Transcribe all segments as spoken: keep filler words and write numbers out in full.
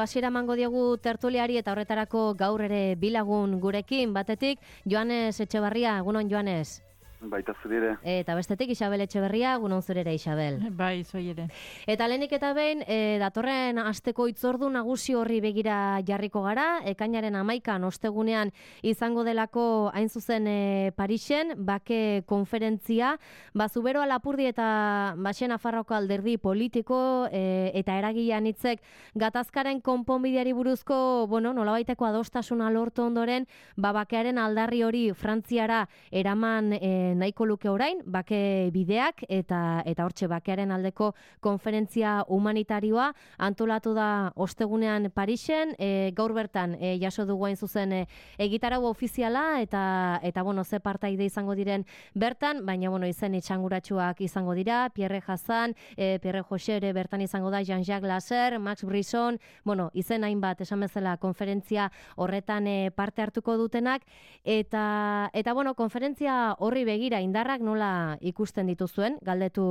Hasiera emango diogu tertuliari eta horretarako gaur ere bilagun gurekin, batetik Joanes Etxebarria, egunon Joanes. Baita zure. Eta bestetik Isabel Etxeberria, egunon zure ere Isabel. Bai, zoi ere. Eta lehenik eta behin, e, datorren asteko hitzordu nagusi horri begira jarriko gara, ekainaren hamaikan ostegunean izango delako hain zuzen e, Parisen, bake konferentzia, Bazubero Lapurdi eta Baxen Nafarroako alderdi politiko e, eta eragilean hitzek gatazkaren konponbideari buruzko, bueno, nolabaiteko adostasuna lortu ondoren, ba bakearen aldarri hori Frantziara eraman e, nahiko luke orain, bake bideak eta eta hortxe bakearen aldeko konferentzia humanitarioa antolatu da ostegunean Parisen, e, gaur bertan e, jaso dugu hain zuzen e, egitarau ofiziala eta eta bueno, ze partaide izango diren bertan, baina bueno, izen itxanguratsuak izango dira, Pierre Hassan, e, Pierre José ere bertan izango da, Jean-Jacques Lasser, Max Brisson, bueno, izen hainbat esan bezala konferentzia horretan e, parte hartuko dutenak eta eta bueno, konferentzia horri begira indarrak nola ikusten dituzuen, galdetu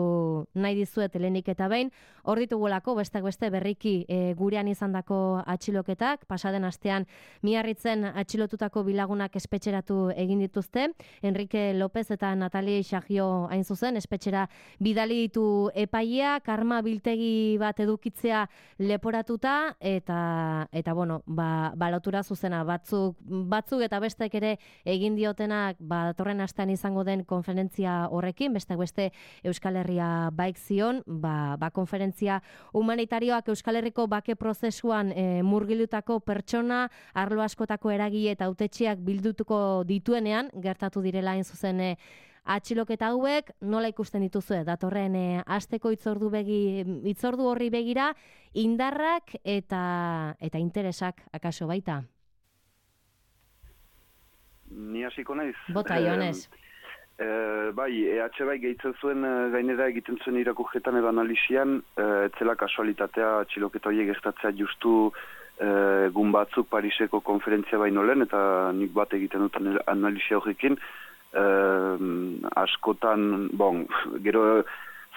nahi dizuet lehenik eta behin, hor ditugulako besteak beste berriki e, gurean izandako atxiloketak, pasaden astean Miarritzen atxilotutako bilagunak espetxeratu egin dituzte, Enrique López eta Natalie Xagio hain zuzen, espetxera bidali ditu epaia, karma biltegi bat edukitzea leporatuta, eta eta bueno, ba, balotura zuzena, batzuk, batzuk eta bestek ere egin diotenak, ba, datorren astean izango den konferentzia horrekin, besteak beste Euskal Herria baik zion, ba, ba konferentzia humanitarioak Euskal Herriko bake prozesuan e, murgilutako pertsona, arlo askotako eragile eta hautetxeak bildutuko dituenean, gertatu direla hain zuzen e, atxiloketa hauek, nola ikusten dituzue, datorren e, asteko hitzordu begi, hitzordu horri begira, indarrak eta eta interesak akaso baita. Ni hasiko naiz. Bota, Joanes. E, bai, E H bai gehitzen zuen gainera egiten zuen irakurketan edo analisian, e, etzela kasualitatea atxiloketa horiek gertatzea justu e, egun batzuk Pariseko konferentzia baino lehen, eta nik bat egiten dut analisia horrekin, e, askotan, bon, gero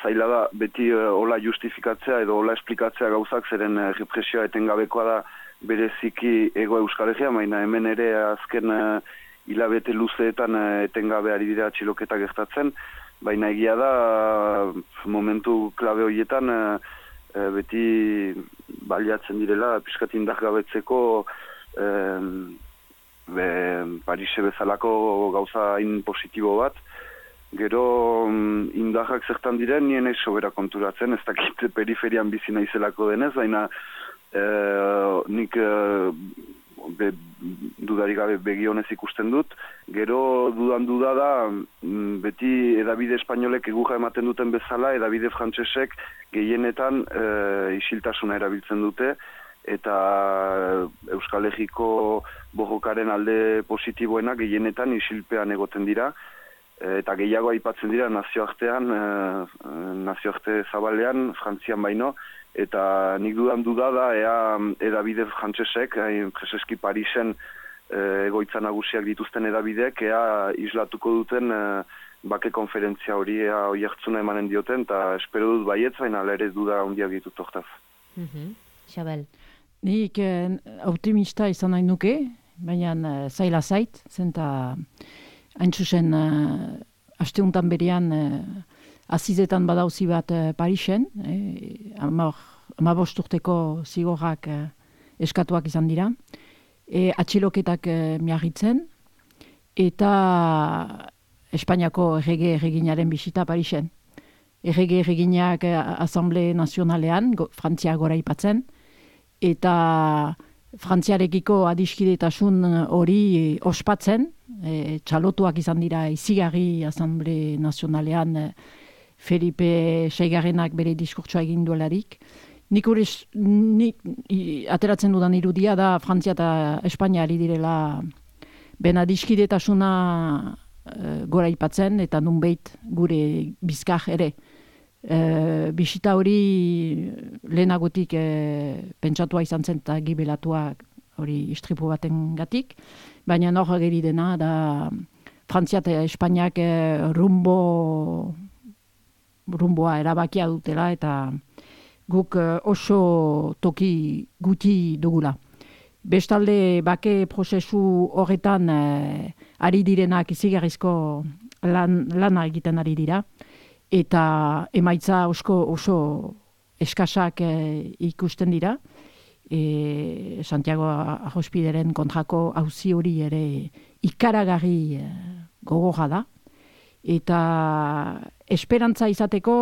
zaila da beti e, hola justifikatzea edo hola esplikatzea gauzak, zeren e, represioa etengabekoa da bereziki ego Euskal Herria, baina hemen ere azken e, hilabete luzeetan etengabe ari dira atxiloketa gertatzen, baina egia da momentu klabe horietan e, beti baliatzen direla pixkat indargabetzeko e, be, Parise bezalako gauza hain positibo bat. Gero indarrak zertan diren nien ez sobera konturatzen, ez dakit periferian bizi naizelako denez, baina e, nik e, Be, dudarik gabe begionez ikusten dut. Gero dudan duda da beti edabide espainolek eguja ematen duten bezala, edabide frantsesek gehienetan e, isiltasuna erabiltzen dute eta Euskal Herriko borrokaren alde positiboenak gehienetan isilpean egoten dira e, eta gehiago aipatzen dira nazioartean, e, nazioarte zabalean, Frantzian baino, eta nik dudan duda da ea edabide frantsesek, preseski Parisen e, egoitza nagusiak dituzten edabidek, ea islatuko duten e, bake konferentzia hori ea oihartzuna emanen dioten, eta espero dut baietz, baina ere duda handiak ditut hortaz. Mm-hmm. Xabel. Nik eh, optimista izan nahi nuke, baina eh, zaila zait, zenta hain zuzen eh, asteuntan berean eh, azizetan badauzi bat eh, Parisen, eh, amabost urteko zigorrak eh, eskatuak izan dira, e, atxiloketak eh, Miarritzen, eta Espainiako errege erreginaren bisita Parisen. Errege erreginak eh, Asamble Nazionalean, go, Frantzia gora ipatzen, eta Frantziarekiko adiskidetasun hori eh, ospatzen, eh, txalotuak izan dira izigarri Asamble Nazionalean eh, Felipe seigarrenak bere diskurtsoa egin duelarik. Nik hori nik, i, ateratzen dudan irudia da Frantzia eta Espainia ari direla ben adiskidetasuna e, gora ipatzen eta nunbait gure bizkar ere. E, bisita hori lehenagotik e, pentsatua izan zen eta gibelatua hori istripu baten gatik, baina nor geri dena da Frantzia eta Espainiak e, rumbo rumboa erabakia dutela eta guk oso toki guti dugula. Bestalde, bake prozesu horretan eh, ari direnak izigarrizko lan, lana egiten ari dira, eta emaitza osko oso eskasak eh, ikusten dira. E, Santiago Arrospideren kontrako auzi hori ere ikaragarri eh, gogorra da. Eta esperantza izateko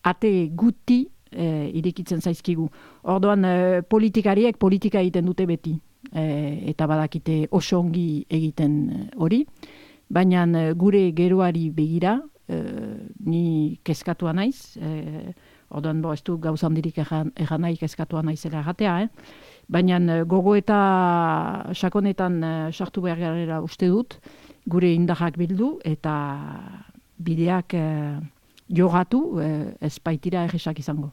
ate guti e, irikitzen zaizkigu. Orduan e, politikariek politika egiten dute beti. E, eta badakite oso ongi egiten hori. Baina gure geroari begira, e, ni kezkatua naiz. E, orduan bo, ez du gauza handirik egan, egan nahi kezkatua naizela erratea. Eh? Baina gogo eta sakonetan sartu behar garela uste dut, gure indarrak bildu eta bideak eh, jogatu eh, ez baitira egisak izango.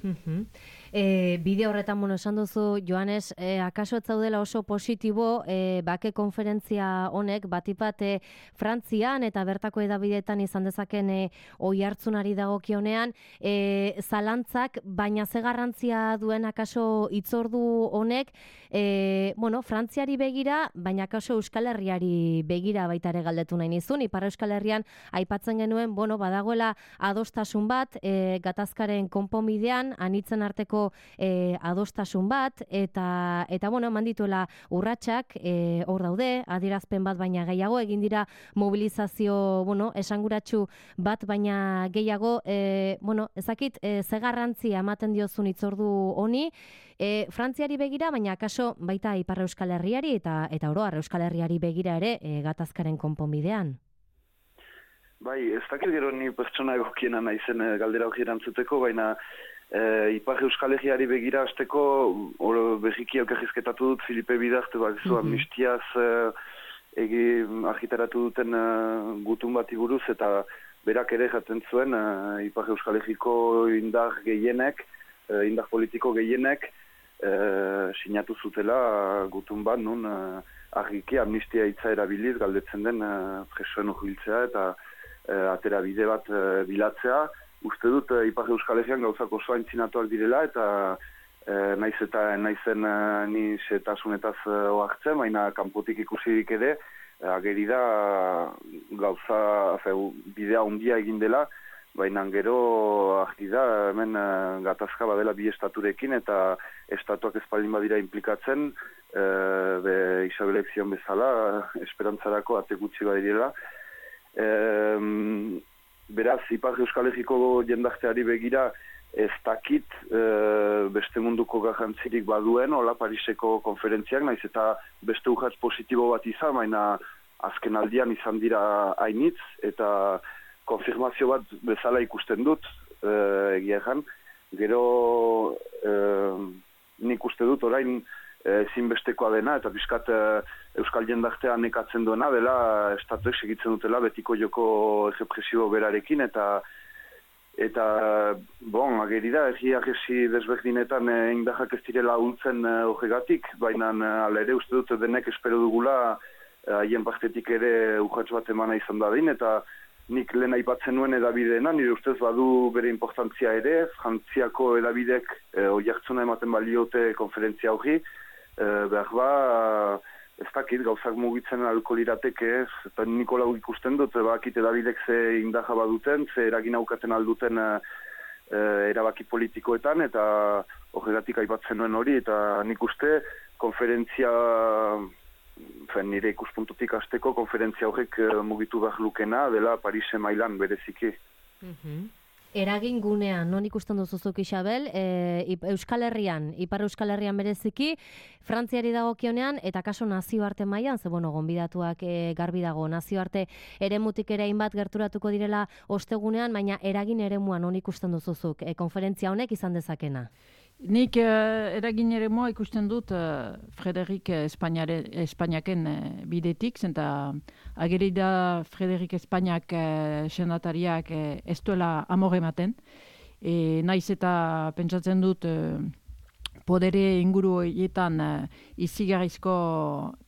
Mm-hmm. E, bide horretan, bueno, esan duzu, Joanes, e, akaso ez zaudela oso positibo e, bake konferentzia honek, batipat e, Frantzian eta bertako edabideetan izan dezaken e, oi hartzunari dagokionean, e, zalantzak, baina ze garrantzia duen akaso hitzordu honek, e, bueno, Frantziari begira, baina akaso Euskal Herriari begira baita ere galdetu nahi nizun, Ipar Euskal Herrian aipatzen genuen, bueno, badagoela adostasun bat, e, gatazkaren konponbidean, anitzen arteko E, adostasun bat, eta, eta bueno, eman dituela urratsak, e, hor daude, adierazpen bat baina gehiago, egin dira mobilizazio, bueno, esanguratsu bat baina gehiago, e, bueno, ezakit, e, ze garrantzia ematen diozun hitzordu honi, e, Frantziari begira, baina akaso baita Ipar Euskal Herriari, eta, eta oro, Euskal Herriari begira ere, e, gatazkaren konponbidean. Bai, ez dakit gero ni pertsona egokiena naizen galdera hori erantzuteko, baina E, Ipar Euskal Herriari begira hasteko berriki elkarrizketatu dut Filipe Bidarte, bat zu, mm-hmm. amnistiaz e, egi argitaratu duten e, gutun bati buruz, eta berak ere jaten zuen e, Ipar Euskal Herriko indar gehienek, e, indar politiko gehienek e, sinatu zutela gutun bat, nun e, argiki amnistia hitza erabiliz galdetzen den e, presoen urbiltzea eta e, atera bide bat e, bilatzea. Uste dut, e, Ipar Euskal Herrian gauzak oso aintzinatuak direla, eta e, naiz eta naizen e, ni setasunetaz e, oartzen, baina kanpotik ikusirik ere, e, ageri da gauza, fe, bidea handia egin dela, baina gero argi da, hemen e, gatazka badela bi estaturekin, eta estatuak espaldin badira implikatzen, e, be, Isabelek zion bezala, esperantzarako ate gutxi badirela. E, Beraz, Ipar Euskal Herriko jendarteari begira ez dakit e, beste munduko garrantzirik baduen, hola Pariseko konferentziak, naiz eta beste urratz positibo bat izan, baina azken aldian izan dira hainitz, eta konfirmazio bat bezala ikusten dut, e, egia egan. Gero e, nik uste dut orain ezinbestekoa dena, eta bizkat e, Euskal jendartea nekatzen duena, dela estatuek segitzen dutela betiko joko errepresibo berarekin, eta eta bon, ageri da, erri agesi desberdinetan e, indahak ez direla ultzen e, horregatik, baina ala ere uste dut denek espero dugula haien e, partetik ere urratz bat emana izan dadin, eta nik lehen aipatzen nuen edabideena, nire ustez badu bere importantzia ere, Frantziako edabidek e, oiartzuna ematen baliote konferentzia hori, e, behar ba, ez dakit, gauzak mugitzen alko lirateke, eta Nikolau ikusten dut, bakit edabidek ze indaja baduten, ze eragin aukaten alduten e, erabaki politikoetan, eta horregatik aipatzen nuen hori, eta nik uste konferentzia, fen, nire ikuspuntutik hasteko konferentzia horrek e, mugitu behar lukena, dela Parise mailan bereziki. Mm-hmm. Eragin gunean, non ikusten duzuzuk Isabel, e, Euskal Herrian, Ipar Euskal Herrian bereziki, Frantziari dagokionean, eta kaso nazioarte mailan, ze bueno, gonbidatuak e, garbi dago, nazioarte eremutik ere hainbat gerturatuko direla ostegunean, baina eragin eremuan non ikusten duzuzuk, e, konferentzia honek izan dezakena? Nik uh, eragin ere moa ikusten dut uh, Frederik Espainiaken uh, bidetik, zenta ageri da Frederik Espainiak uh, senatariak uh, ez duela amore ematen. E, naiz eta pentsatzen dut uh, podere inguru horietan uh, izigarrizko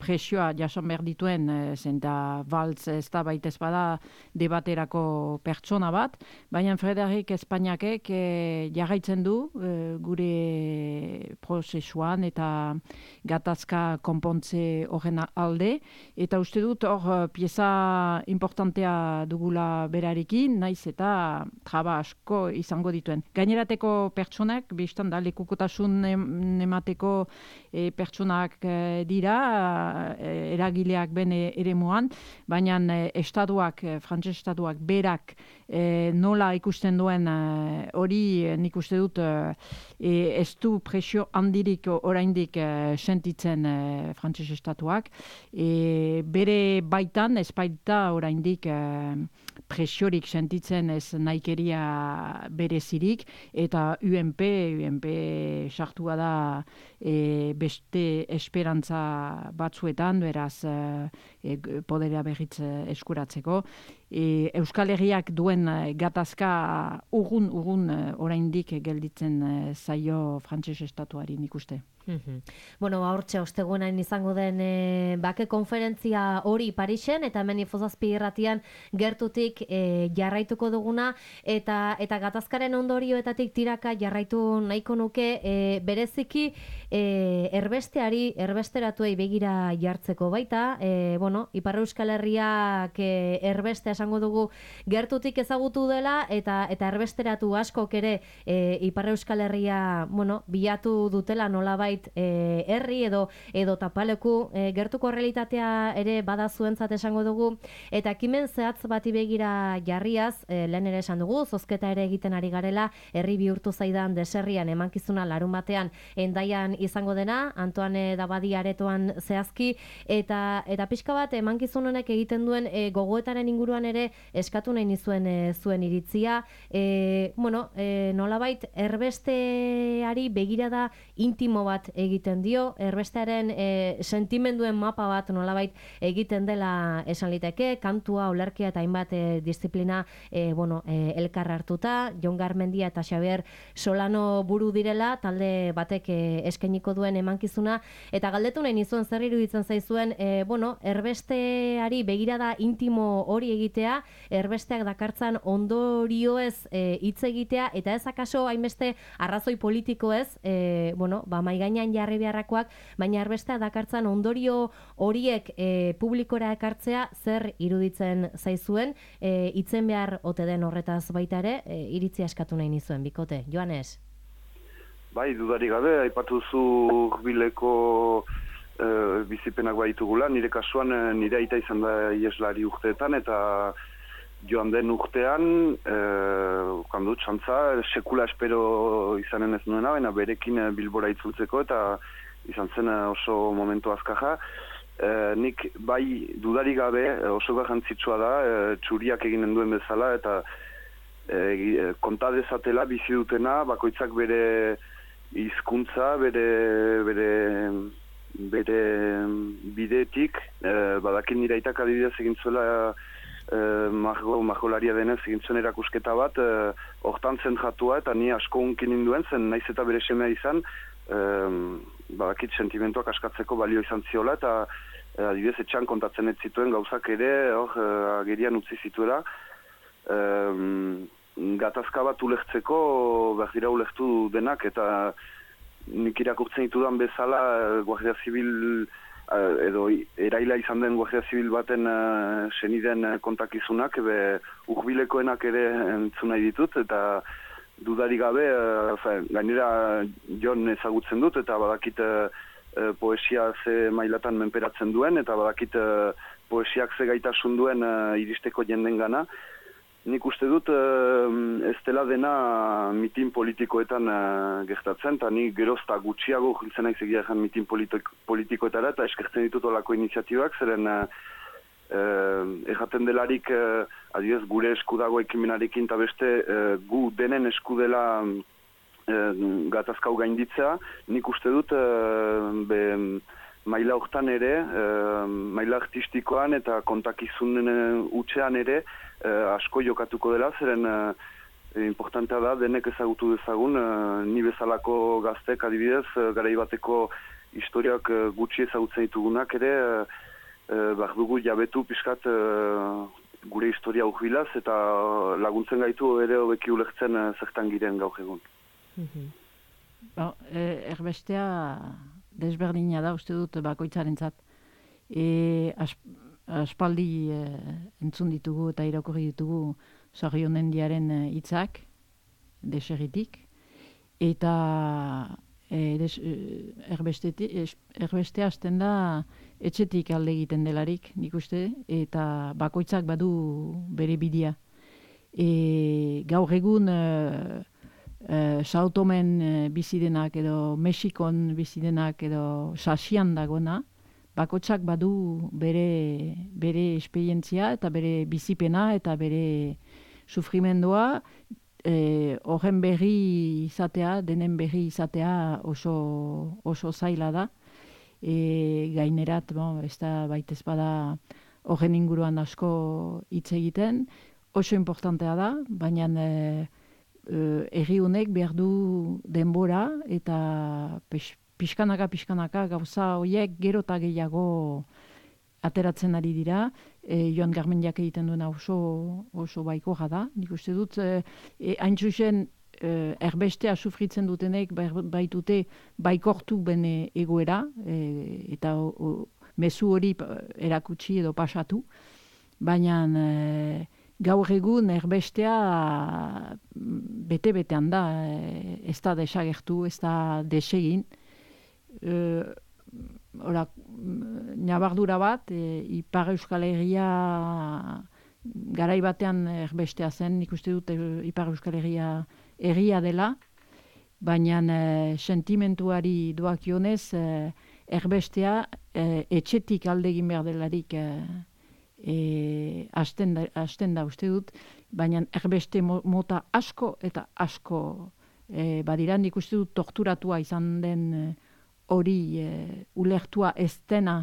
presioa jason behar dituen, uh, zenta Valls ez da baitez bada debaterako pertsona bat, baina Frederik Espainiakek uh, jarraitzen du uh, gure prozesuan eta gatazka konpontze horren alde, eta uste dut hor pieza importantea dugula berarekin, naiz eta traba asko izango dituen. Gainerateko pertsonak, biztan da, lekukotasun emateko e, pertsonak e, dira, e, eragileak bene eremuan, baina e, estatuak, e, frantses estatuak berak e, nola ikusten duen hori e, nik uste dut e, ez du presio handirik oraindik e, sentitzen e, frantses estatuak. E, bere baitan, ez baita oraindik e, presiorik sentitzen ez naikeria berezirik, eta U N P, U N P sartua da e, beste esperantza batzuetan, beraz e, poderea berriz eskuratzeko. E, Euskal Herriak duen gatazka urgun, urgun oraindik gelditzen zaio frantses estatuari nik uste. Mm-hmm. Bueno, hortxe ostegunain izango den e, bake konferentzia hori Parisen, eta hemen Ifozazpi irratian gertutik e, jarraituko duguna, eta eta gatazkaren ondorioetatik tiraka jarraitu nahiko nuke e, bereziki e, erbesteari, erbesteratuei begira jartzeko baita, e, bueno, Ipar Euskal Herriak e, erbeste esango dugu gertutik ezagutu dela, eta eta erbesteratu askok ere e, Ipar Euskal Herria, bueno, bilatu dutela nolabait E, herri edo edo tapaleku e, gertuko realitatea ere bada zuentzat esango dugu, eta ekimen zehatz bati begira jarriaz, e, lehen ere esan dugu, zozketa ere egiten ari garela, herri bihurtu zaidan deserrian emankizuna larun batean Hendaian izango dena, Antoine Dabadi aretoan zehazki, eta eta pixka bat emankizun honek egiten duen e, gogoetaren inguruan ere eskatu nahi nizuen e, zuen iritzia, e, bueno, e, nolabait erbesteari begirada intimo bat egiten dio, erbestearen e, sentimenduen mapa bat nolabait egiten dela esan liteke, kantua, olerkia eta hainbat e, disiplina e, bueno, e, elkar hartuta, Jon Garmendia eta Xabier Solano buru direla, talde batek e, eskainiko duen emankizuna, eta galdetu nahi nizuen zer iruditzen zaizuen, e, bueno, erbesteari begirada intimo hori egitea, erbesteak dakartzan ondorioez hitz e, egitea, eta ez akaso hainbeste arrazoi politikoez, e, bueno, ba, maigain jarri beharrakoak, baina erbestea dakartzan ondorio horiek e, publikora ekartzea zer iruditzen zaizuen, e, itzen behar ote den horretaz baita ere, e, iritzia eskatu nahi nizuen, bikote. Joanes? Bai, dudarik gabe, aipatu zu bileko e, bizipenak baitugula, nire kasuan nire aita izan da ieslari urteetan, eta joan den urtean, e, kandu, txantza, sekula espero izanen ez nuena, baina berekin Bilbora itzultzeko, eta izan zen oso momentu azkaja. E, nik bai dudarik gabe oso garrantzitsua da, e, txuriak eginen duen bezala, eta e, konta dezatela bizi dutena, bakoitzak bere hizkuntza, bere, bere, bere bidetik, e, badakin nire aitak adibidez egin zuela, Eh, margo, margolaria denez egin zuen erakusketa bat, eh, hortan zentratua, eta ni asko unkin induen zen, naiz eta bere semea izan, eh, badakit sentimentuak askatzeko balio izan ziola, eta eh, adibidez etxan kontatzen ez zituen gauzak ere, hor, eh, agerian utzi zituela. Eh, gatazka bat ulertzeko, behar dira ulertu denak, eta nik irakurtzen ditudan bezala, Guardia Zibil edo eraila izan den Guardia Zibil baten uh, seniden kontakizunak, be urbilekoenak ere entzun nahi ditut, eta dudari gabe, uh, gainera Jon ezagutzen dut, eta badakit uh, poesia ze mailatan menperatzen duen, eta badakit uh, poesiak ze gaitasun duen uh, iristeko jenden gana. Nik uste dut uh, ez dela dena mitin politikoetan uh, gertatzen, eta ni gerozta gutxiago jiltzen nahi zegia ezan mitin politik, politikoetara, eta eskertzen ditut olako iniziatibak, zeren uh, uh, erraten delarik uh, adibidez gure eskudago ekimenarekin, eta beste uh, gu denen eskudela uh, gatazkau gainditzea. Nik uste dut uh, be, maila hortan ere, uh, maila artistikoan eta kontakizunen uh, utxean ere, Uh, asko jokatuko dela, zeren uh, E, importantea da, denek ezagutu dezagun, e, ni bezalako gaztek adibidez, e, garai bateko historiak e, gutxi ezagutzen ditugunak ere, e, e, behar dugu jabetu pixkat e, gure historia urbilaz, eta laguntzen gaitu ere hobeki ulertzen e, zertan giren gaur egun. Mm-hmm. Ba, e, erbestea desberdina da, uste dut bakoitzarentzat. E, as, aspaldi e, entzun ditugu eta irakurri ditugu Sarrionendiaren hitzak deserritik, eta e, des, e, erbestea hasten da etxetik alde egiten delarik, nik uste, eta bakoitzak badu bere bidea. E, gaur egun e, Uh, Sao Tomen uh, bizidenak edo Mexikon bizidenak edo Sasian dagona, bakotsak badu bere, bere esperientzia eta bere bizipena eta bere sufrimendua, eh, horren berri izatea, denen berri izatea oso, oso zaila da. E, gainerat, bon, ez da baitez bada horren inguruan asko hitz egiten, oso importantea da, baina eh, erri honek behar du denbora eta pix, pixkanaka, pixkanaka gauza horiek gero eta gehiago ateratzen ari dira. E, Joan Garmendiak egiten duena oso, oso baikoa da. Nik uste dut, e, e, hain zuzen e, erbestea sufritzen dutenek baitute baikortu bene egoera, e, eta o, o, mezu hori erakutsi edo pasatu, baina e, gaur egun erbestea bete-betean da, ez da desagertu, ez da desegin. E, ora, nabardura bat, e, Ipar Euskal Herria garai batean erbestea zen, nik uste dut Ipar Euskal Herria herria dela, baina e, sentimentuari doakionez e, erbestea e, etxetik alde egin behar delarik e, E, hasten da, hasten da uste dut, baina erbeste mota asko eta asko e, badira, nik uste dut torturatua izan den hori e, ulertua ez dena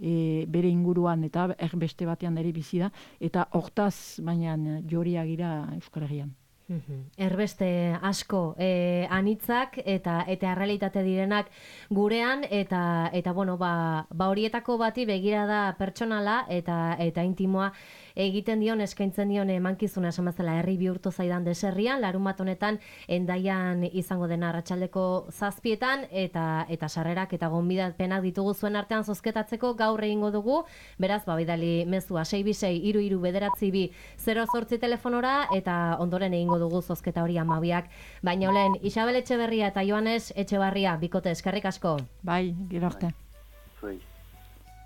e, bere inguruan eta erbeste batean ere bizi da, eta hortaz baina joria gira Euskal Herrian. Erbeste asko e, anitzak eta eta errealitate direnak gurean, eta eta bueno, ba, ba horietako bati begirada pertsonala eta eta intimoa egiten dion, eskaintzen dion emankizuna, esan bezala herri bihurtu zaidan deserrian, larunbat honetan Hendaian izango dena arratsaldeko zazpietan, eta eta sarrerak eta gonbidapenak ditugu zuen artean zozketatzeko gaur egingo dugu, beraz, ba bidali mezua sei bi sei hiru hiru bederatzi bi zero zortzi telefonora, eta ondoren egingo dugu zozketa hori hamabiak. Baina olen, Isabel Etxeberria eta Joanes Etxebarria, bikote, eskerrik asko. Bai, gero arte. Zuei.